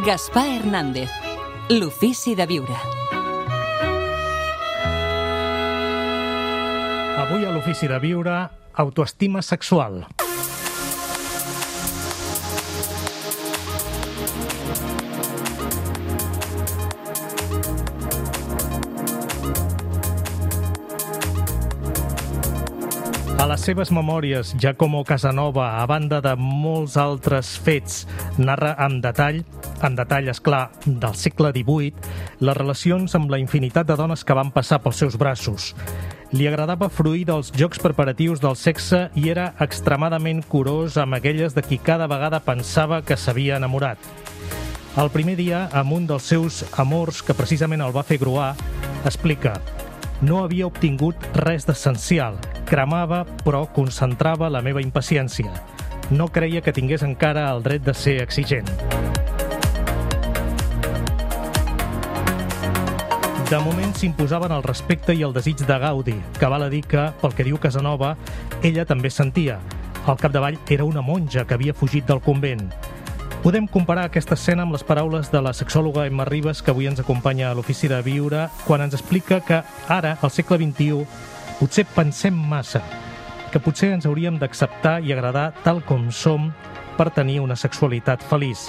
Gaspar Hernández, l'ofici de viure. Avui a l'ofici de viure, autoestima sexual. A les seves memòries, Giacomo Casanova, a banda de molts altres fets, narra amb detall, esclar, del segle XVIII, les relacions amb la infinitat de dones que van passar pels seus braços. Li agradava fruir dels jocs preparatius del sexe i era extremadament curós amb aquelles de qui cada vegada pensava que s'havia enamorat. El primer dia, amb un dels seus amors que precisament el va fer gruar, explica: no havia obtingut res d'essencial. Cremava, però concentrava la meva impaciència. No creia que tingués encara el dret de ser exigent. De moment s'imposaven el respecte i el desig de gaudi, que val a dir que, pel que diu Casanova, ella també sentia. Al capdavall era una monja que havia fugit del convent. Podem comparar aquesta escena amb les paraules de la sexòloga Emma Ribas, que avui ens acompanya a l'Ofici de Viure, quan ens explica que ara, al segle XXI, potser pensem massa, que potser ens hauríem d'acceptar i agradar tal com som per tenir una sexualitat feliç.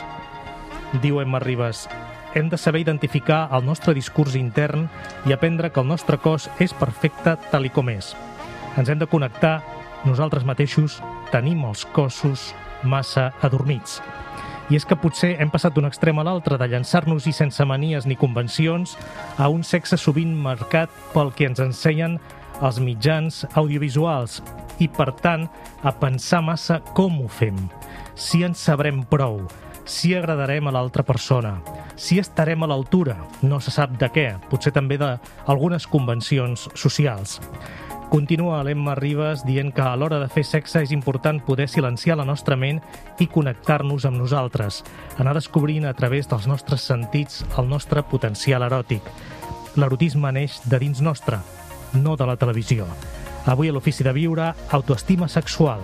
Diu Emma Ribas: hem de saber identificar el nostre discurs intern i aprendre que el nostre cos és perfecte tal i com és. Ens hem de connectar nosaltres mateixos, tenim els cossos massa adormits. I és que potser hem passat d'un extrem a l'altre, de llançar-nos-hi sense manies ni convencions, a un sexe sovint marcat pel que ens ensenyen els mitjans audiovisuals i, per tant, a pensar massa com ho fem, si ens sabrem prou, si agradarem a l'altra persona, si estarem a l'altura, no se sap de què, potser també d'algunes convencions socials. Continua l'Emma Ribas dient que a l'hora de fer sexe és important poder silenciar la nostra ment i connectar-nos amb nosaltres, anar descobrint a través dels nostres sentits el nostre potencial eròtic. L'erotisme neix de dins nostre, no de la televisió. Avui a l'Ofici de Viure, autoestima sexual.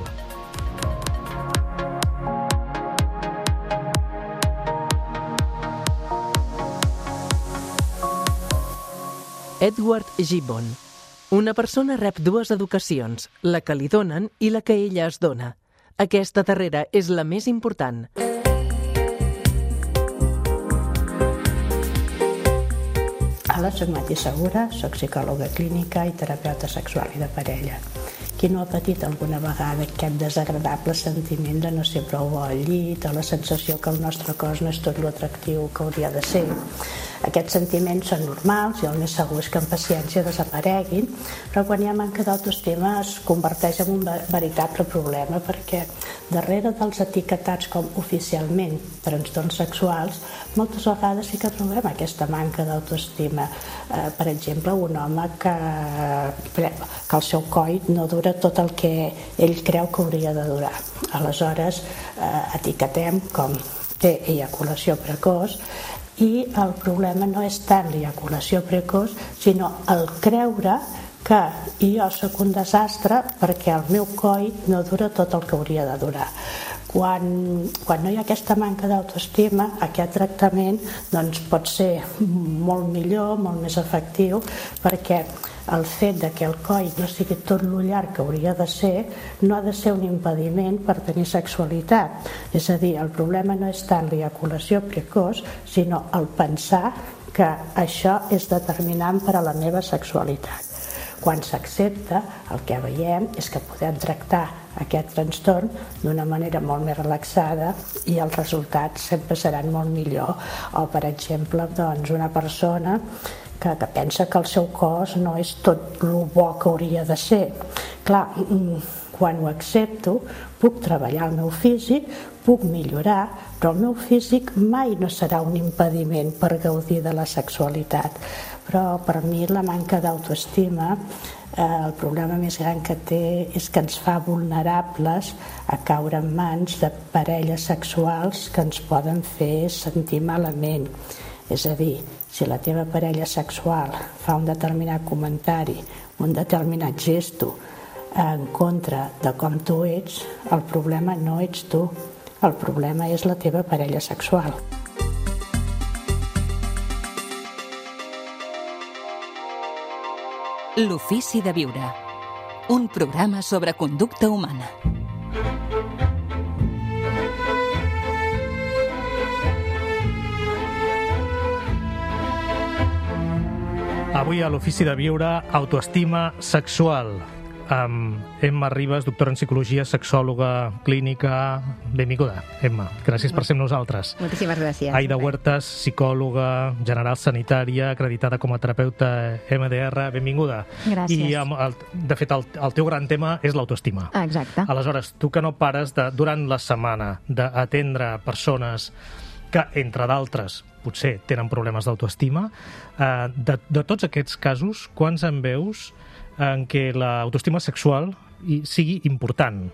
Edward Gibbon. Una persona rep dues educacions, la que li donen i la que ella es dona. Aquesta darrera és la més important. Hola, soc Mati Segura, soc psicòloga clínica i terapeuta sexual i de parella. Qui no ha patit alguna vegada aquest desagradable sentiment de no ser prou bo al llit o la sensació que el nostre cos no és tot l'atractiu que hauria de ser? Aquests sentiments són normals i el més segur és que amb paciència desapareguin, però quan hi ha manca d'autoestima es converteix en un veritable problema, perquè darrere dels etiquetats com oficialment trastorns sexuals, moltes vegades sí que trobem aquesta manca d'autoestima. Per exemple, un home que el seu coll no dura tot el que ell creu que hauria de durar. Aleshores, etiquetem com té eyaculació precoç, i el problema no és tant l'eyaculació precoç, sinó el creure que jo sóc un desastre perquè el meu coll no dura tot el que hauria de durar. Quan no hi ha aquesta manca d'autoestima, aquest tractament pot ser molt millor, molt més efectiu, perquè el fet que el coll no sigui tot lo llarg que hauria de ser no ha de ser un impediment per tenir sexualitat. És a dir, el problema no és tant l'eyaculació precoç, sinó el pensar que això és determinant per a la meva sexualitat. Quan s'accepta, el que veiem és que podem tractar aquest trastorn d'una manera molt més relaxada i els resultats sempre seran molt millor. O, per exemple, una persona que pensa que el seu cos no és tot el bo que hauria de ser. Clar, quan ho accepto, puc treballar el meu físic, puc millorar, però el meu físic mai no serà un impediment per gaudir de la sexualitat. Però per mi la manca d'autoestima, el problema més gran que té és que ens fa vulnerables a caure en mans de parelles sexuals que ens poden fer sentir malament. És a dir, si la teva parella sexual fa un determinat comentari, un determinat gesto en contra de com tu ets, el problema no ets tu, el problema és la teva parella sexual. L'ofici de viure. Un programa sobre conducta humana. Avui a l'Ofici de Viure, autoestima sexual. Amb Emma Ribas, doctora en psicologia, sexòloga clínica. Benvinguda, Emma. Gràcies per ser amb nosaltres. Moltíssimes gràcies. Aida Huertas, psicòloga general sanitària, acreditada com a terapeuta MDR. Benvinguda. Gràcies. I, de fet, el teu gran tema és l'autoestima. Exacte. Aleshores, tu que no pares durant la setmana d'atendre persones que, entre d'altres, potser tenen problemes d'autoestima, de tots aquests casos, quants en veus en què l'autoestima sexual sigui important?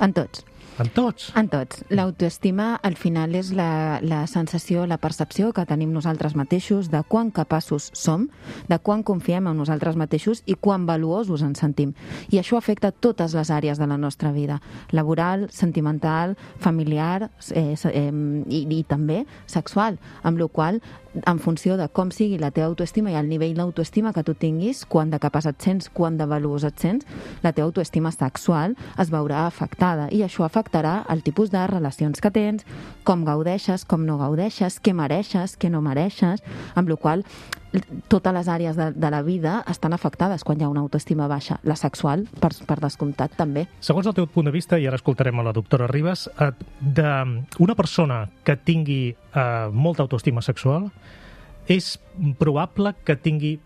En tots. En tots? En tots. L'autoestima, al final, és la sensació, la percepció que tenim nosaltres mateixos de quan capaços som, de quan confiem en nosaltres mateixos i quan valuosos ens sentim. I això afecta totes les àrees de la nostra vida. Laboral, sentimental, familiar i també sexual. Amb la qual cosa, en funció de com sigui la teva autoestima i el nivell d'autoestima que tu tinguis, quant de capaç et sents, quant de valuós et sents, la teva autoestima sexual es veurà afectada i això afectarà el tipus de relacions que tens, com gaudeixes, com no gaudeixes, què mereixes, què no mereixes, amb la qual cosa totes les àrees de la vida estan afectades quan hi ha una autoestima baixa. La sexual, per descomptat, també. Segons el teu punt de vista, i ara escoltarem a la doctora Ribas, d'una persona que tingui molta autoestima sexual, és probable que tingui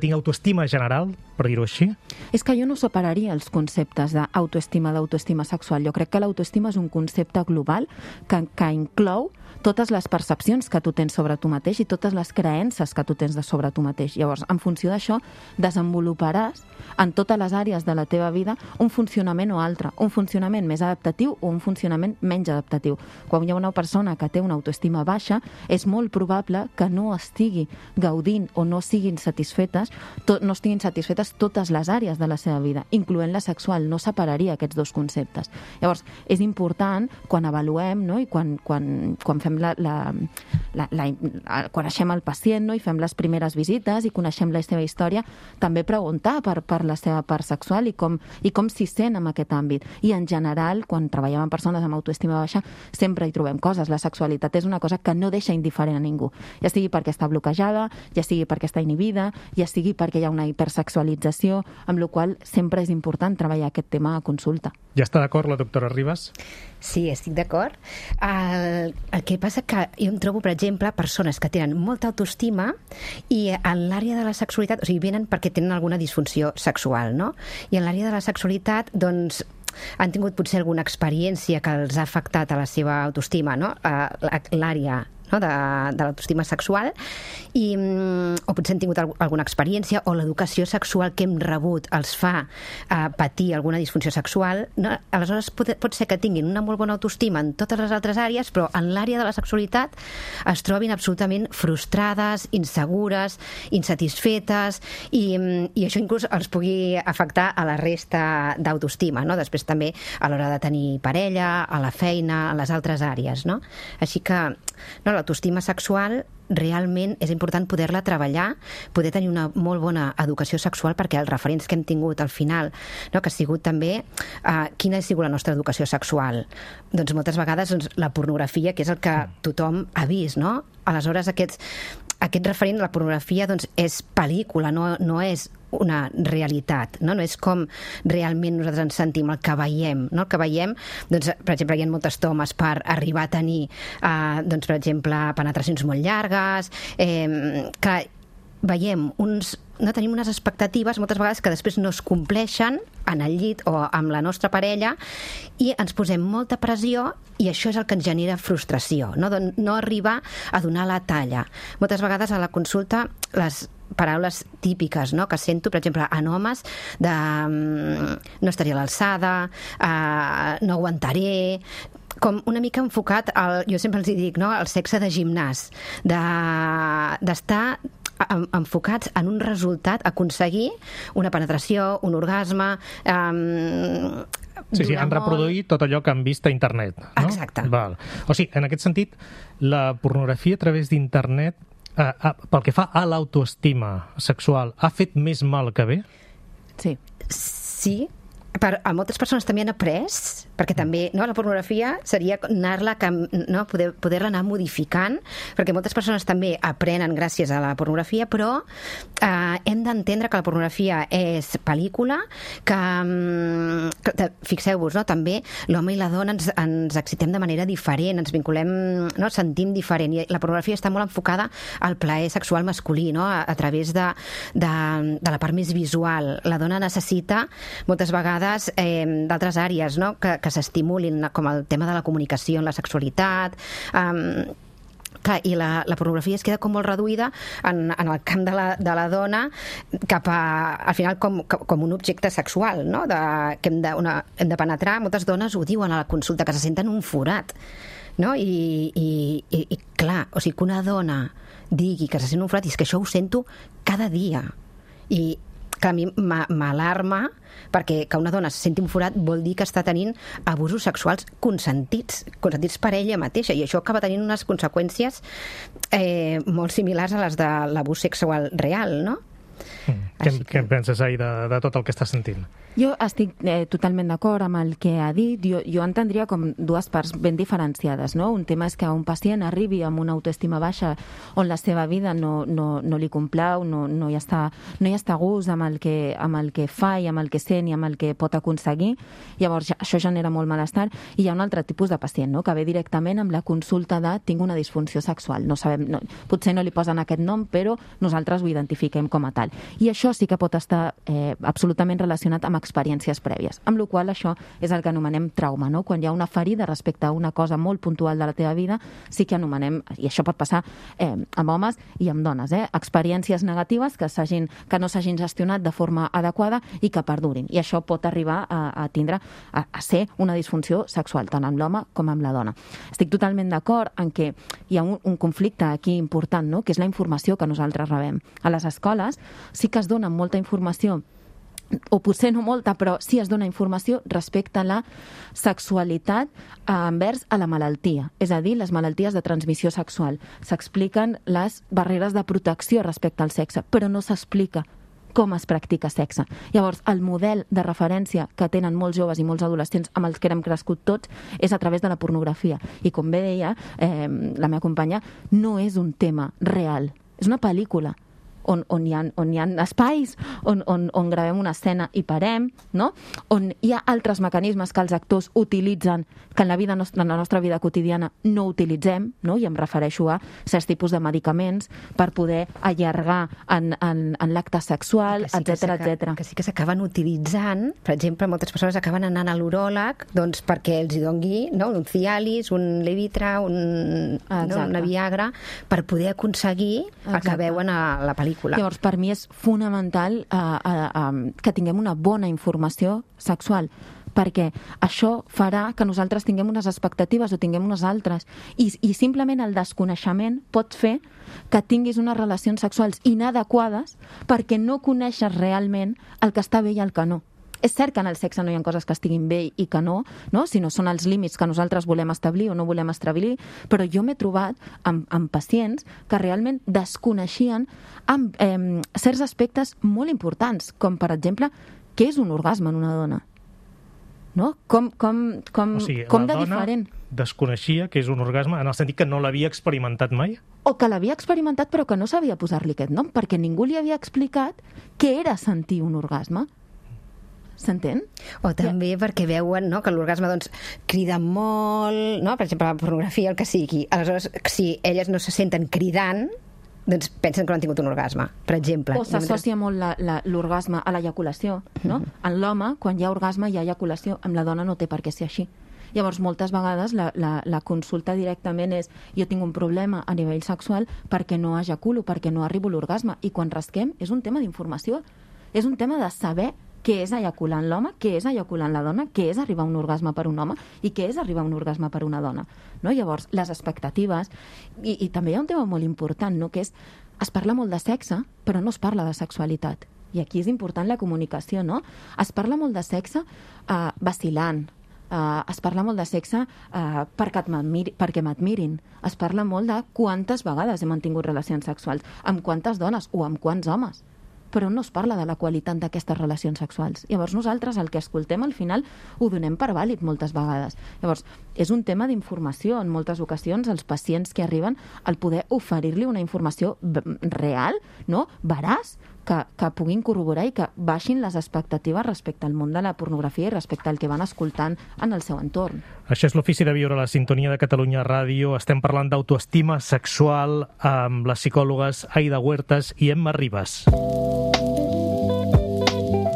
autoestima general, per dir-ho així? És que jo no separaria els conceptes d'autoestima sexual. Jo crec que l'autoestima és un concepte global que inclou totes les percepcions que tu tens sobre tu mateix i totes les creences que tu tens sobre tu mateix. Llavors, en funció d'això, desenvoluparàs en totes les àrees de la teva vida un funcionament o altre, un funcionament més adaptatiu o un funcionament menys adaptatiu. Quan hi ha una persona que té una autoestima baixa, és molt probable que no estigui gaudint o no estiguin satisfetes totes les àrees de la seva vida, incloent la sexual. No separaria aquests dos conceptes. Llavors, és important, quan avaluem, no? I quan fem quan coneixem el pacient, no? I fem les primeres visites i coneixem la seva història, també preguntar per la seva part sexual i com s'hi sent en aquest àmbit. I en general, quan treballem amb persones amb autoestima baixa, sempre hi trobem coses. La sexualitat és una cosa que no deixa indiferent a ningú, ja sigui perquè està bloquejada, ja sigui perquè està inhibida, ja sigui perquè hi ha una hipersexualització, amb la qual sempre és important treballar aquest tema a consulta. Ja està d'acord la doctora Ribas? Sí, estic d'acord. El que passa que jo em trobo, per exemple, persones que tenen molta autoestima i en l'àrea de la sexualitat, o sigui, venen perquè tenen alguna disfunció sexual, no? I en l'àrea de la sexualitat, doncs, han tingut potser alguna experiència que els ha afectat a la seva autoestima, no? L'àrea de l'autoestima sexual o potser han tingut alguna experiència o l'educació sexual que hem rebut els fa patir alguna disfunció sexual, no? Aleshores pot ser que tinguin una molt bona autoestima en totes les altres àrees, però en l'àrea de la sexualitat es trobin absolutament frustrades, insegures, insatisfetes i això inclús els pugui afectar a la resta d'autoestima, no? Després també a l'hora de tenir parella, a la feina, a les altres àrees, no? Així que l'autoestima sexual realment és important poder-la treballar, poder tenir una molt bona educació sexual, perquè els referents que hem tingut al final, no, que ha sigut també quina ha sigut la nostra educació sexual. Doncs moltes vegades la pornografia, que és el que tothom ha vist, no? Aleshores aquest referent, la pornografia, doncs és pel·lícula, no és una realitat, no és com realment nosaltres ens sentim, el que veiem, no? El que veiem, doncs, per exemple, hi ha moltes tomes per arribar a tenir, doncs, per exemple, penetracions molt llargues, que veiem tenim unes expectatives moltes vegades que després no es compleixen en el llit o amb la nostra parella i ens posem molta pressió i això és el que ens genera frustració, no arribar a donar la talla. Moltes vegades a la consulta les paraules típiques, no?, que sento, per exemple, en homes de no estaria a l'alçada, no aguantaré, com una mica enfocat, jo sempre els dic, no?, al sexe de gimnàs, d'estar enfocats en un resultat, aconseguir una penetració, un orgasme... Sí, han reproduït tot allò que han vist a internet, no? Exacte. Val. O sigui, en aquest sentit, la pornografia a través d'internet pel que fa a l'autoestima sexual, ha fet més mal que bé? Sí. Sí, a moltes persones també han après, perquè també la pornografia seria anar-la, poder-la anar modificant, perquè moltes persones també aprenen gràcies a la pornografia, però hem d'entendre que la pornografia és pel·lícula, que fixeu-vos, també l'home i la dona ens excitem de manera diferent, ens vinculem, sentim diferent, i la pornografia està molt enfocada al plaer sexual masculí, a través de la part més visual. La dona necessita moltes vegades d'altres àrees que s'estimulin, com el tema de la comunicació en la sexualitat. Clar, i la pornografia es queda com molt reduïda en el camp de la dona cap al final com un objecte sexual, que hem de penetrar. Moltes dones ho diuen a la consulta, que se senten un forat, i clar, o sigui, que una dona digui que se sent un forat, i és que això ho sento cada dia, i que a mi m'alarma, perquè que una dona se senti un forat vol dir que està tenint abusos sexuals consentits per ella mateixa, i això acaba tenint unes conseqüències molt similars a les de l'abús sexual real, no? Què en penses, Ai, de tot el que estàs sentint? Jo estic totalment d'acord amb el que ha dit. Jo entendria com dues parts ben diferenciades, no? Un tema és que un pacient arribi amb una autoestima baixa on la seva vida no li complau, no hi està a gust amb el que fa i amb el que sent i amb el que pot aconseguir. Llavors això genera molt malestar. I hi ha un altre tipus de pacient, no? Que ve directament amb la consulta de tinc una disfunció sexual. No sabem, potser no li posen aquest nom, però nosaltres ho identifiquem com a tal. I això sí que pot estar absolutament relacionat amb experiències prèvies, amb la qual això és el que anomenem trauma, no? Quan hi ha una ferida respecte a una cosa molt puntual de la teva vida, sí que anomenem, i això pot passar amb homes i amb dones, experiències negatives que no s'hagin gestionat de forma adequada i que perdurin. I això pot arribar a ser una disfunció sexual, tant amb l'home com amb la dona. Estic totalment d'acord en que hi ha un conflicte aquí important, no? Que és la informació que nosaltres rebem. A les escoles sí que es dona molta informació, o potser no molta, però sí es dona informació respecte a la sexualitat envers a la malaltia, és a dir, les malalties de transmissió sexual. S'expliquen les barreres de protecció respecte al sexe, però no s'explica com es practica sexe. Llavors, el model de referència que tenen molts joves i molts adolescents amb els que hem crescut tots és a través de la pornografia. I com bé deia la meva companya, no és un tema real, és una pel·lícula on hi ha espais, on gravem una escena i parem, no? On hi ha altres mecanismes que els actors utilitzen, que en la nostra vida quotidiana no utilitzem, no? I em refereixo a certs tipus de medicaments per poder allargar en l'acte sexual, etc. Que sí que s'acaben utilitzant. Per exemple, moltes persones acaben anant a l'uròleg perquè els hi dongui un Cialis, un Levitra, una Viagra, per poder aconseguir el que veuen a la pel·lícula. Llavors, per mi és fonamental que tinguem una bona informació sexual, perquè això farà que nosaltres tinguem unes expectatives o tinguem unes altres. I simplement el desconeixement pot fer que tinguis unes relacions sexuals inadequades perquè no coneixes realment el que està bé i el que no. És cert que en el sexe no hi ha coses que estiguin bé i que no, si no són els límits que nosaltres volem establir o no volem establir, però jo m'he trobat amb pacients que realment desconeixien certs aspectes molt importants, com per exemple, què és un orgasme en una dona? No? Com de diferent? Desconeixia que és un orgasme en el sentit que no l'havia experimentat mai? O que l'havia experimentat però que no sabia posar-li aquest nom, perquè ningú li havia explicat què era sentir un orgasme. S'entén? O també perquè veuen que l'orgasme crida molt, per exemple, la pornografia, el que sigui. Aleshores, si elles no se senten cridant, pensen que no han tingut un orgasme, per exemple. O s'associa molt l'orgasme a l'eyaculació, no? En l'home, quan hi ha orgasme, hi ha eyaculació. Amb la dona no té per què ser així. Llavors, moltes vegades la consulta directament és jo tinc un problema a nivell sexual perquè no ejaculo, perquè no arribo a l'orgasme. I quan rasquem és un tema d'informació. És un tema de saber què és ejacular en l'home, què és ejacular en la dona, què és arribar a un orgasme per un home i què és arribar a un orgasme per una dona. No? Llavors, les expectatives, i també hi ha un tema molt important, no? Que és, es parla molt de sexe, però no es parla de sexualitat. I aquí és important la comunicació, no? Es parla molt de sexe vacilant, Es parla molt de sexe perquè m'admirin. Es parla molt de quantes vegades he mantingut relacions sexuals, amb quantes dones o amb quants homes. Però no es parla de la qualitat d'aquestes relacions sexuals. Llavors nosaltres el que escoltem al final ho donem per vàlid moltes vegades. Llavors és un tema d'informació. En moltes ocasions els pacients que arriben al poder oferir-li una informació real, no? Veraç, que puguin corroborar i que baixin les expectatives respecte al món de la pornografia i respecte al que van escoltant en el seu entorn. Això és l'Ofici de Viure a la sintonia de Catalunya Ràdio. Estem parlant d'autoestima sexual amb les psicòlogues Aida Huertas i Emma Ribas.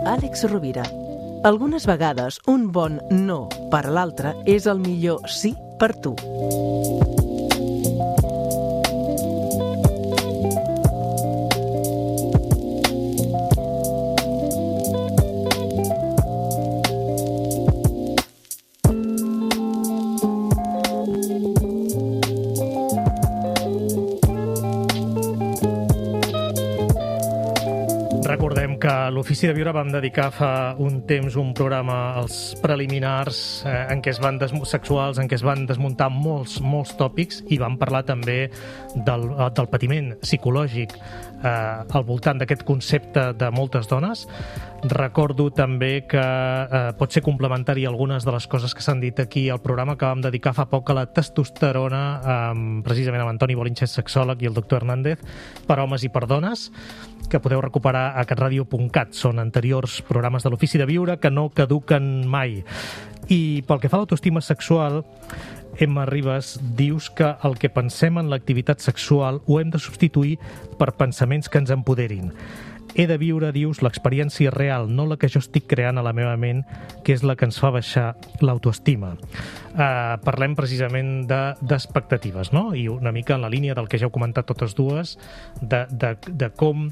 Àlex Rovira. Algunes vegades un bon no per a l'altre és el millor sí per tu. Recordem que a l'Ofici de Viure vam dedicar fa un temps un programa als preliminars en què es van sexuals, en què es van desmuntar molts tòpics i vam parlar també del patiment psicològic al voltant d'aquest concepte de moltes dones. Recordo també que pot ser complementari algunes de les coses que s'han dit aquí al programa que vam dedicar fa poc a la testosterona, precisament amb Antoni Bolinches, sexòleg, i el doctor Hernández, per homes i per dones, que podeu recuperar a catradio.cat. Són anteriors programes de l'Ofici de Viure que no caduquen mai. I pel que fa a l'autoestima sexual, Emma Ribas, dius que el que pensem en l'activitat sexual ho hem de substituir per pensaments que ens empoderin. He de viure, dius, l'experiència real, no la que jo estic creant a la meva ment, que és la que ens fa baixar l'autoestima. Parlem precisament d'expectatives, no? I una mica en la línia del que ja heu comentat totes dues, de com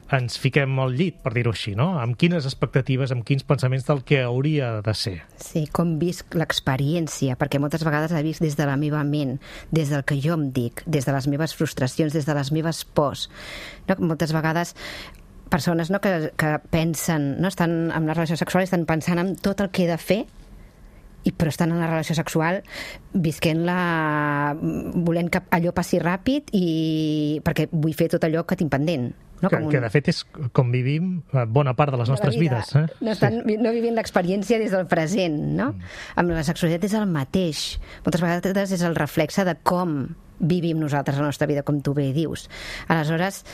ens fiquem al llit, per dir-ho així, no? Amb quines expectatives, amb quins pensaments del que hauria de ser. Sí, com visc l'experiència, perquè moltes vegades la visc des de la meva ment, des del que jo em dic, des de les meves frustracions, des de les meves pors. No? Moltes vegades persones, no, que pensen, no, estan en una relació sexual i estan pensant en tot el que he de fer, però estan en la relació sexual visquent-la, volent que allò passi ràpid perquè vull fer tot allò que tinc pendent. No? Que de fet és com vivim bona part de les nostres vides. No vivim l'experiència des del present, no? Amb la sexualitat és el mateix. Moltes vegades és el reflexe de com vivim nosaltres la nostra vida, com tu bé dius. Aleshores,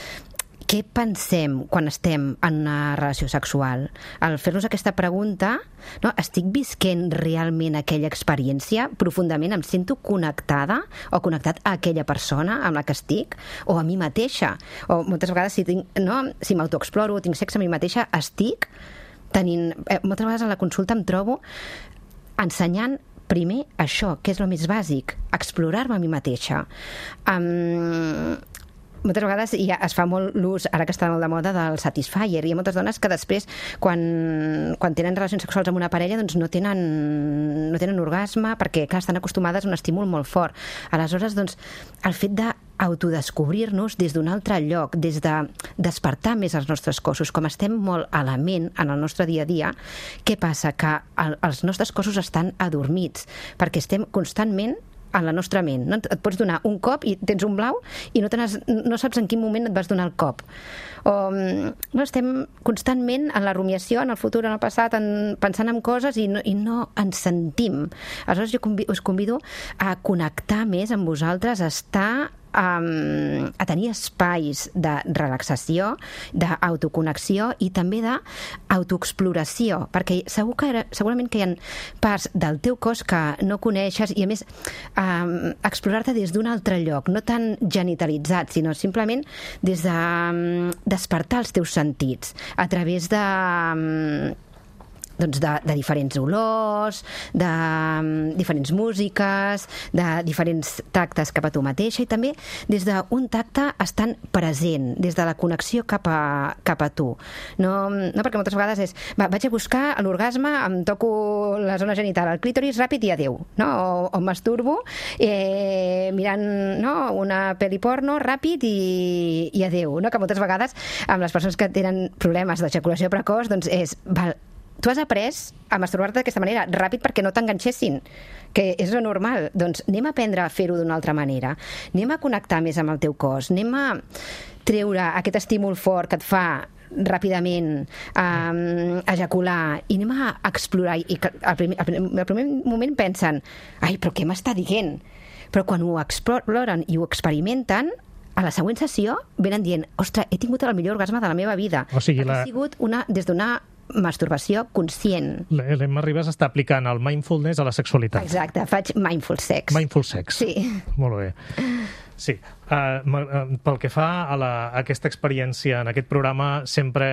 què pensem quan estem en una relació sexual? Al fer-nos aquesta pregunta, no, estic visquent realment aquella experiència profundament? Em sento connectada o connectat a aquella persona amb la que estic? O a mi mateixa? O moltes vegades si m'autoexploro o tinc sexe a mi mateixa, estic tenint... moltes vegades a la consulta em trobo ensenyant primer això, que és el més bàsic, explorar-me a mi mateixa. Moltes vegades ja es fa molt l'ús, ara que està molt de moda, del Satisfyer. Hi ha moltes dones que després, quan tenen relacions sexuals amb una parella, doncs no tenen orgasme, perquè, clar, estan acostumades a un estímul molt fort. Aleshores, doncs, el fet d'autodescobrir-nos des d'un altre lloc, des de despertar més els nostres cossos, com estem molt a la ment en el nostre dia a dia, què passa? Que els nostres cossos estan adormits, perquè estem constantment en la nostra ment. No? Et pots donar un cop i tens un blau i no saps en quin moment et vas donar el cop. O estem constantment en la rumiació, en el futur, en el passat, pensant en coses i no ens sentim. Aleshores jo us convido a connectar més amb vosaltres, a estar a tenir espais de relaxació, d'autoconnexió i també d'autoexploració, perquè segurament que hi ha parts del teu cos que no coneixes i, a més, explorar-te des d'un altre lloc, no tan genitalitzat, sinó simplement des de despertar els teus sentits a través de diferents olors, de diferents músiques, de diferents tactes cap a tu mateixa i també des d'un tacte estant present, des de la connexió cap a tu. No perquè moltes vegades és, vaig a buscar l'orgasme, em toco la zona genital, el clítoris ràpid i adéu, no? O masturbo mirant una pel·li porno ràpid i adéu, no? Que moltes vegades amb les persones que tenen problemes d'ejaculació precoç doncs és, tu has après a masturbar-te d'aquesta manera, ràpid perquè no t'enganxessin, que és lo normal. Doncs anem a aprendre a fer-ho d'una altra manera. Anem a connectar més amb el teu cos. Anem a treure aquest estímul fort que et fa ràpidament ejacular i anem a explorar. I al primer moment pensen, ai, però què m'està dient? Però quan ho exploren i ho experimenten, a la següent sessió venen dient, ostres, he tingut el millor orgasme de la meva vida. O sigui, ha sigut des d'una masturbació conscient. L'Emma Ribas està aplicant el mindfulness a la sexualitat. Exacte, faig mindful sex. Mindful sex. Sí. Molt bé. Sí. Pel que fa a aquesta experiència en aquest programa, sempre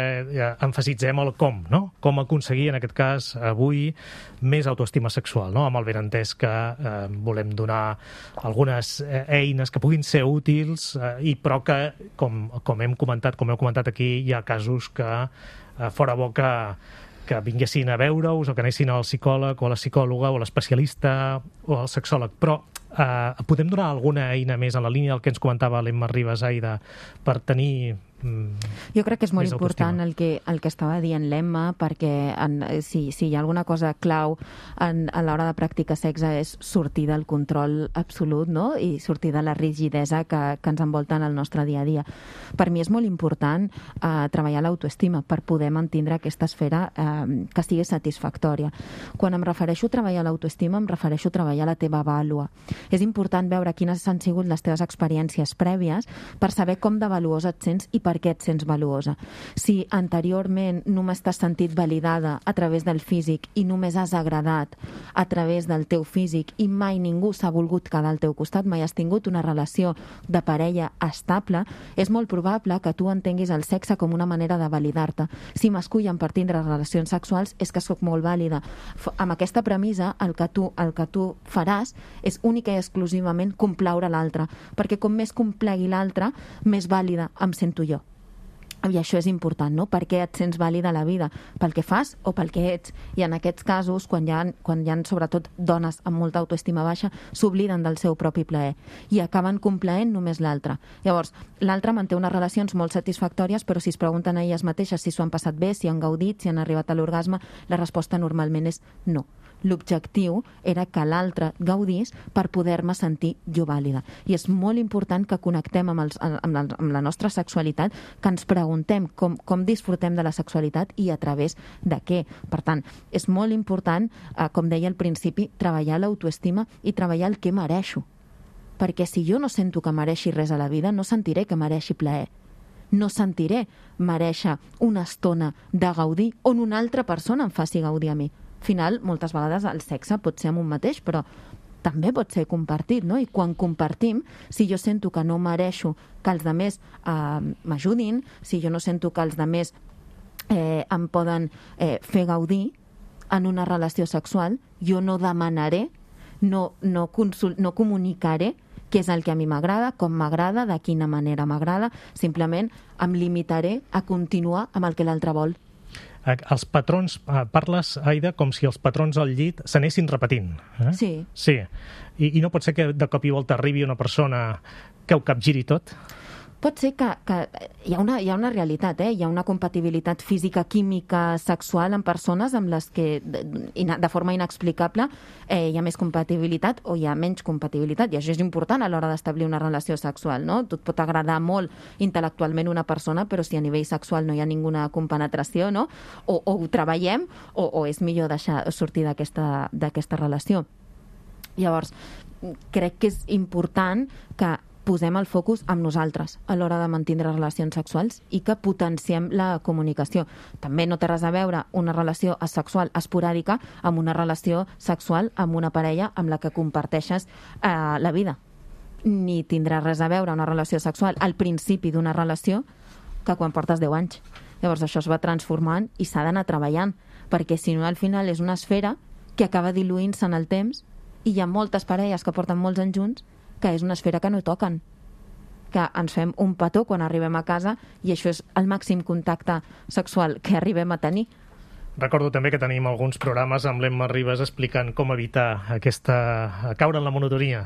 emfasitzem el com, no? Com aconseguir, en aquest cas, avui, més autoestima sexual, no? Amb el benentès que volem donar algunes eines que puguin ser útils, però que, com heu comentat aquí, hi ha casos que fora bo que vinguessin a veure-us o que anessin al psicòleg o a la psicòloga o a l'especialista o al sexòleg. Però podem donar alguna eina més en la línia del que ens comentava l'Emma Ribas, Aida, per tenir jo crec que és molt important el que estava dient l'Emma, perquè si hi ha alguna cosa clau a l'hora de practicar sexe és sortir del control absolut, no? I sortir de la rigidesa que ens envolta en el nostre dia a dia. Per mi és molt important treballar l'autoestima per poder mantindre aquesta esfera que sigui satisfactòria. Quan em refereixo a treballar l'autoestima, em refereixo a treballar la teva vàlua. És important veure quines han sigut les teves experiències prèvies per saber com de valuosa et sents i per què et sents valuosa. Si anteriorment només t'has sentit validada a través del físic i només has agradat a través del teu físic i mai ningú s'ha volgut quedar al teu costat, mai has tingut una relació de parella estable, és molt probable que tu entenguis el sexe com una manera de validar-te. Si m'escullen per tindre relacions sexuals és que sóc molt vàlida. Amb aquesta premissa, el que tu faràs és única i exclusivament complaure l'altre, perquè com més complegui l'altre, més vàlida em sento jo. I això és important, no? Per què et sents vàlida a la vida? Pel que fas o pel que ets? I en aquests casos, quan hi ha sobretot dones amb molta autoestima baixa, s'obliden del seu propi plaer i acaben complaent només l'altre. Llavors, l'altre manté unes relacions molt satisfactòries, però si es pregunten a elles mateixes si s'ho han passat bé, si han gaudit, si han arribat a l'orgasme, la resposta normalment és no. L'objectiu era que l'altre gaudís per poder-me sentir jo vàlida. I és molt important que connectem amb la nostra sexualitat, que ens preguntem com disfrutem de la sexualitat i a través de què. Per tant, és molt important, com deia al principi, treballar l'autoestima i treballar el que mereixo. Perquè si jo no sento que mereixi res a la vida, no sentiré que mereixi plaer. No sentiré mereixer una estona de gaudir on una altra persona em faci gaudir a mi. Al final, moltes vegades el sexe pot ser amb un mateix, però també pot ser compartit, no? I quan compartim, si jo sento que no mereixo que els altres m'ajudin, si jo no sento que els altres em poden fer gaudir en una relació sexual, jo no demanaré, no comunicaré què és el que a mi m'agrada, com m'agrada, de quina manera m'agrada, simplement em limitaré a continuar amb el que l'altre vol. Els patrons, parles, Aida, com si els patrons al llit s'anessin repetint. Sí. Sí. I no pot ser que de cop i volta arribi una persona que ho capgiri tot? Pot ser que hi ha una realitat, hi ha una compatibilitat física, química, sexual en persones amb les que de forma inexplicable hi ha més compatibilitat o hi ha menys compatibilitat, i això és important a l'hora d'establir una relació sexual, no? Tu et pot agradar molt intel·lectualment una persona, però si a nivell sexual no hi ha ninguna compenetració, no? O ho treballem o és millor deixar sortir d'aquesta relació. Llavors, crec que és important que posem el focus amb nosaltres a l'hora de mantindre relacions sexuals i que potenciem la comunicació. També no té res a veure una relació asexual esporàdica amb una relació sexual amb una parella amb la que comparteixes la vida. Ni tindrà res a veure una relació sexual al principi d'una relació que quan portes 10 anys. Llavors això es va transformant i s'ha d'anar treballant, perquè si no al final és una esfera que acaba diluint-se en el temps i hi ha moltes parelles que porten molts anys junts que és una esfera que no toquen, que ens fem un petó quan arribem a casa i això és el màxim contacte sexual que arribem a tenir. Recordo també que tenim alguns programes amb l'Emma Ribas explicant com evitar caure en la monotonia,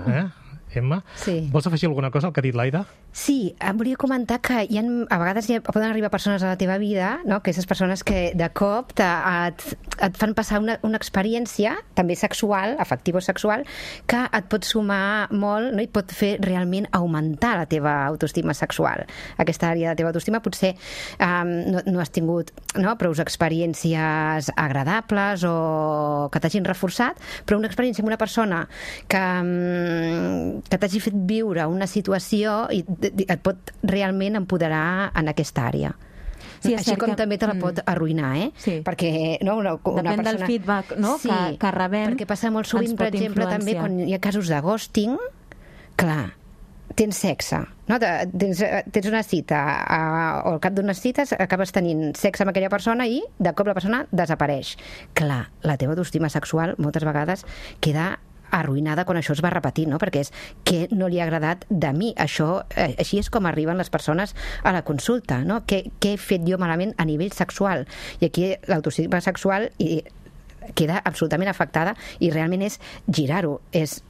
Emma. Sí. Vols afegir alguna cosa al que ha dit l'Aida? Sí, em volia comentar que a vegades poden arribar persones a la teva vida, no? Aquestes persones que de cop et fan passar una experiència, també sexual, afectiva o sexual, que et pot sumar molt, no? I pot fer realment augmentar la teva autoestima sexual. Aquesta àrea de la teva autoestima potser no has tingut prou experiències agradables o que t'hagin reforçat, però una experiència amb una persona que t'hagi fet viure una situació i et pot realment empoderar en aquesta àrea. Sí, així com també te la pot arruïnar, Sí. Perquè una depèn del feedback, no? Sí, que rebem. perquè passa molt sovint, per exemple, també quan hi ha casos de ghosting, clar, tens sexe, no? Tens una cita o al cap d'unes cites acabes tenint sexe amb aquella persona i de cop la persona desapareix. Clar, la teva autoestima sexual moltes vegades queda arruïnada quan això es va repetir, no? Perquè és què no li ha agradat de mi. Això, així és com arriben les persones a la consulta, no? Què he fet jo malament a nivell sexual? I aquí l'autoestima sexual queda absolutament afectada i realment és girar-ho, és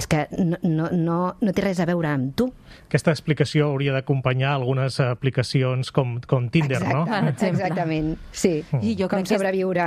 que no té res a veure amb tu. Aquesta explicació hauria d'acompanyar algunes aplicacions com Tinder, no? Exactament, sí. I jo com sobreviure,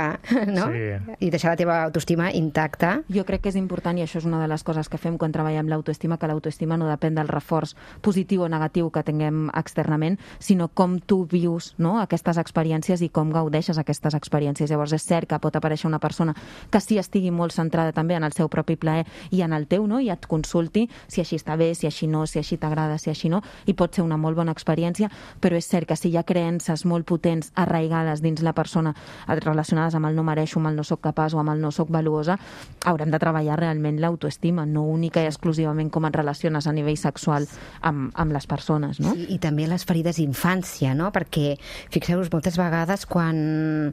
no? Sí. I deixar la teva autoestima intacta. Jo crec que és important, i això és una de les coses que fem quan treballem l'autoestima, que l'autoestima no depèn del reforç positiu o negatiu que tinguem externament, sinó com tu vius, no? Aquestes experiències i com gaudeixes aquestes experiències. Llavors és cert que pot aparèixer una persona que sí estigui molt centrada també en el seu propi plaer i en el teu, no? I et consulti si així està bé, si així no, si així t'agrada, si així no, i pot ser una molt bona experiència, però és cert que si hi ha creences molt potents arraigades dins la persona relacionades amb el no mereixo, amb el no soc capaç o amb el no soc valuosa, haurem de treballar realment l'autoestima, no única i exclusivament com et relaciones a nivell sexual amb les persones, no? Sí, i també les ferides d'infància, no? Perquè, fixeu-vos, moltes vegades quan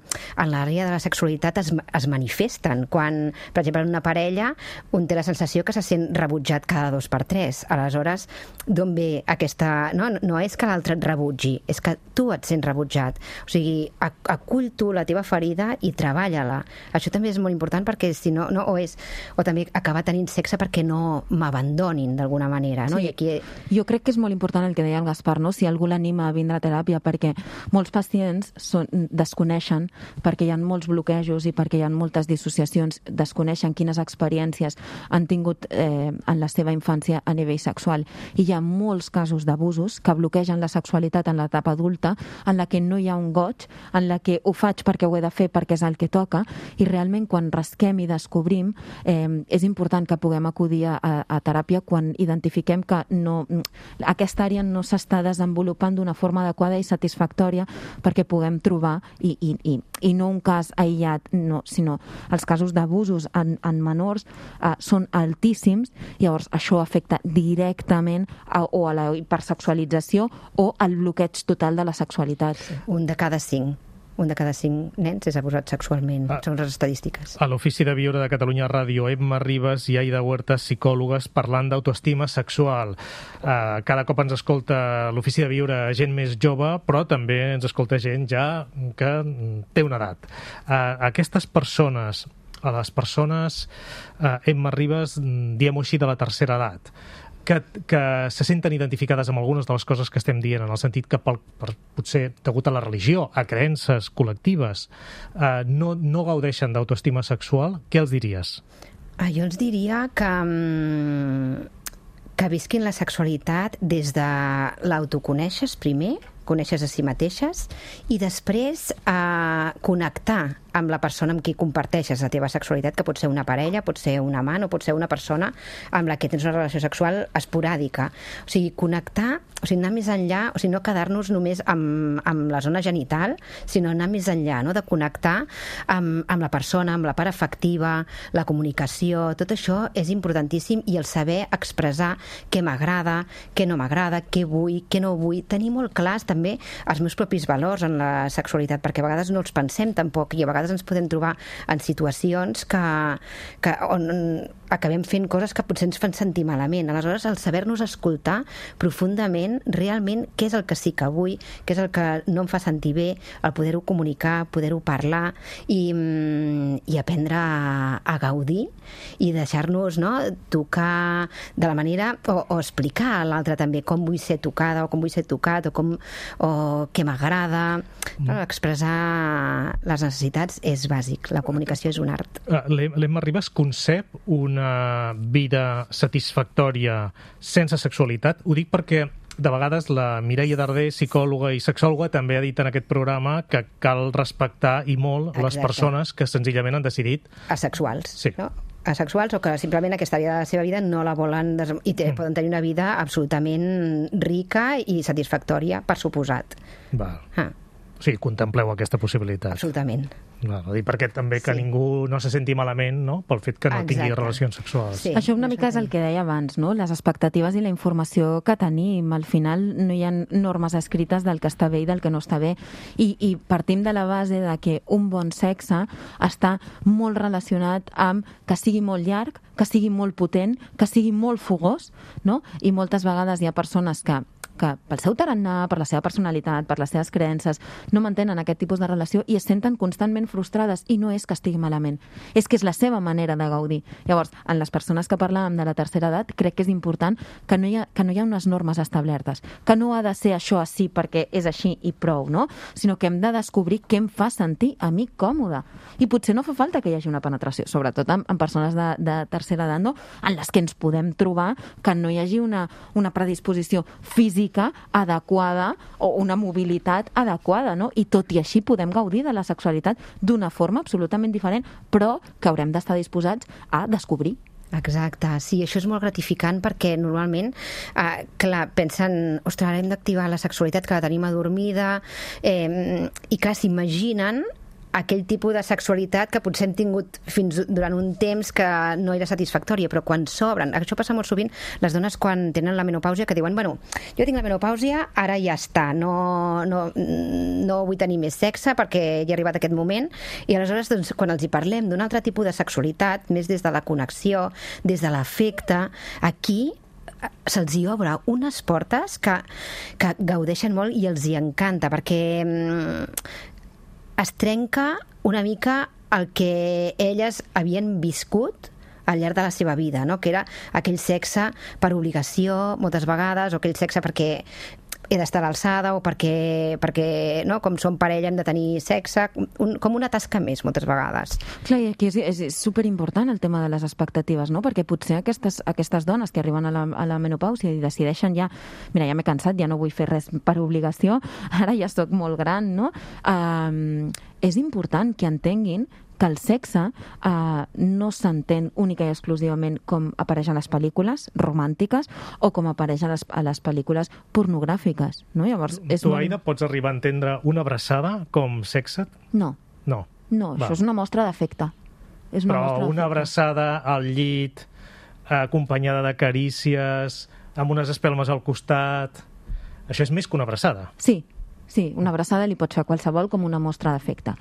en l'àrea de la sexualitat es manifesten, quan, per exemple, en una parella un té la sensació que se sent rebutjat cada 2 per 3. Aleshores, d'on ve aquesta... No és que l'altre et rebutgi, és que tu et sents rebutjat. O sigui, acull tu la teva ferida i treballa-la. Això també és molt important perquè si no, o també acabar tenint sexe perquè no m'abandonin d'alguna manera, no? Sí. I aquí... Jo crec que és molt important el que deia el Gaspar, no? Si algú l'anima a vindre a teràpia, perquè molts pacients desconeixen, perquè hi ha molts bloquejos i perquè hi ha moltes dissociacions, desconeixen quines experiències han tingut en la seva infància a nivell sexual. I hi ha molts casos d'abusos que bloquegen la sexualitat en l'etapa adulta, en la que no hi ha un goig, en la que ho faig perquè ho he de fer, perquè és el que toca, i realment quan rasquem i descobrim és important que puguem acudir a teràpia quan identifiquem que aquesta àrea no s'està desenvolupant d'una forma adequada i satisfactòria perquè puguem trobar i no un cas aïllat, sinó els casos d'abusos en menors són altíssims, llavors això afecta directament o a la hipersexualització o al bloqueig total de la sexualitat. Un de cada 5 nens és abusat sexualment, són les estadístiques. A l'Ofici de Viure de Catalunya Ràdio, Emma Ribas i Aida Huertas, psicòlogues, parlant d'autoestima sexual. Cada cop ens escolta l'Ofici de Viure gent més jove, però també ens escolta gent ja que té una edat. Aquestes persones, Emma Ribas, diem-ho així, de la tercera edat, que se senten identificades amb algunes de les coses que estem dient, en el sentit que potser degut a la religió, a creences col·lectives, no gaudeixen d'autoestima sexual, què els diries? Jo els diria que visquin la sexualitat des de l'autoconeixes primer, coneixes a si mateixes, i després connectar amb la persona amb qui comparteixes la teva sexualitat, que pot ser una parella, pot ser un amant o pot ser una persona amb la que tens una relació sexual esporàdica. O sigui, connectar, anar més enllà, no quedar-nos només amb la zona genital, sinó anar més enllà, no? De connectar amb la persona, amb la part afectiva, la comunicació, tot això és importantíssim, i el saber expressar què m'agrada, què no m'agrada, què vull, què no vull, tenir molt clars també també els meus propis valors en la sexualitat, perquè a vegades no els pensem tampoc, i a vegades ens podem trobar en situacions on acabem fent coses que potser ens fan sentir malament. Aleshores, el saber-nos escoltar profundament realment què és el que sí que vull, què és el que no em fa sentir bé, el poder-ho comunicar, poder-ho parlar i aprendre a gaudir i deixar-nos, no, tocar de la manera, o explicar a l'altre també com vull ser tocada o com vull ser tocat o què m'agrada. Expressar les necessitats és bàsic, la comunicació és un art. L'Emma Ribas concep una vida satisfactòria sense sexualitat? Ho dic perquè de vegades la Mireia Darder, psicòloga i sexòloga, també ha dit en aquest programa que cal respectar i molt les persones que senzillament han decidit... Asexuals, sí. No? Asexuals, o que simplement aquesta àrea de la seva vida no la volen i poden tenir una vida absolutament rica i satisfactòria, per suposat. Val. O sigui, contempleu aquesta possibilitat. Absolutament. I perquè també que ningú no se senti malament, no?, pel fet que no tingui relacions sexuals. Sí, això una mica és el que deia abans, no? Les expectatives i la informació que tenim. Al final no hi ha normes escrites del que està bé i del que no està bé. I partim de la base de que un bon sexe està molt relacionat amb que sigui molt llarg, que sigui molt potent, que sigui molt fogós, no? I moltes vegades hi ha persones que pel seu tarannà, per la seva personalitat, per les seves creences, no mantenen aquest tipus de relació i es senten constantment frustrades, i no és que estigui malament, és que és la seva manera de gaudir. Llavors, en les persones que parlàvem de la tercera edat, crec que és important que no hi ha unes normes establertes, que no ha de ser això així perquè és així i prou, no? Sinó que hem de descobrir què em fa sentir a mi còmode. I potser no fa falta que hi hagi una penetració, sobretot en persones de tercera edat, no? En les que ens podem trobar que no hi hagi una predisposició física adequada o una mobilitat adequada, no? I tot i així podem gaudir de la sexualitat d'una forma absolutament diferent, però que haurem d'estar disposats a descobrir. Exacte, sí, això és molt gratificant perquè normalment, clar, pensen, ostres, ara hem d'activar la sexualitat que la tenim adormida, i clar, s'imaginen aquell tipus de sexualitat que potser hem tingut fins durant un temps que no era satisfactòria, però quan s'obren, això passa molt sovint les dones quan tenen la menopàusia, que diuen, bueno, jo tinc la menopàusia, ara ja està, no vull tenir més sexe perquè ja ha arribat aquest moment, i aleshores doncs, quan els hi parlem d'un altre tipus de sexualitat, més des de la connexió, des de l'afecte, aquí se'ls hi obre unes portes que gaudeixen molt i els hi encanta, perquè es trenca una mica el que elles havien viscut al llarg de la seva vida, no? Que era aquell sexe per obligació, moltes vegades, o aquell sexe perquè he d'estar a l'alçada o perquè no? Com som parella hem de tenir sexe, com una tasca més moltes vegades. Clar, i aquí és superimportant el tema de les expectatives, no? Perquè potser aquestes dones que arriben a la menopàusia i decideixen ja, mira, ja m'he cansat, ja no vull fer res per obligació, ara ja sóc molt gran, no? És important que entenguin que el sexe no s'entén única i exclusivament com apareix a les pel·lícules romàntiques o com apareix a les pel·lícules pornogràfiques, no? Llavors, tu, Aida, pots arribar a entendre una abraçada com sexe? No. No, això és una mostra d'afecte. Però una abraçada al llit, acompanyada de carícies, amb unes espelmes al costat... Això és més que una abraçada. Sí, una abraçada li pot fer a qualsevol com una mostra d'afecte.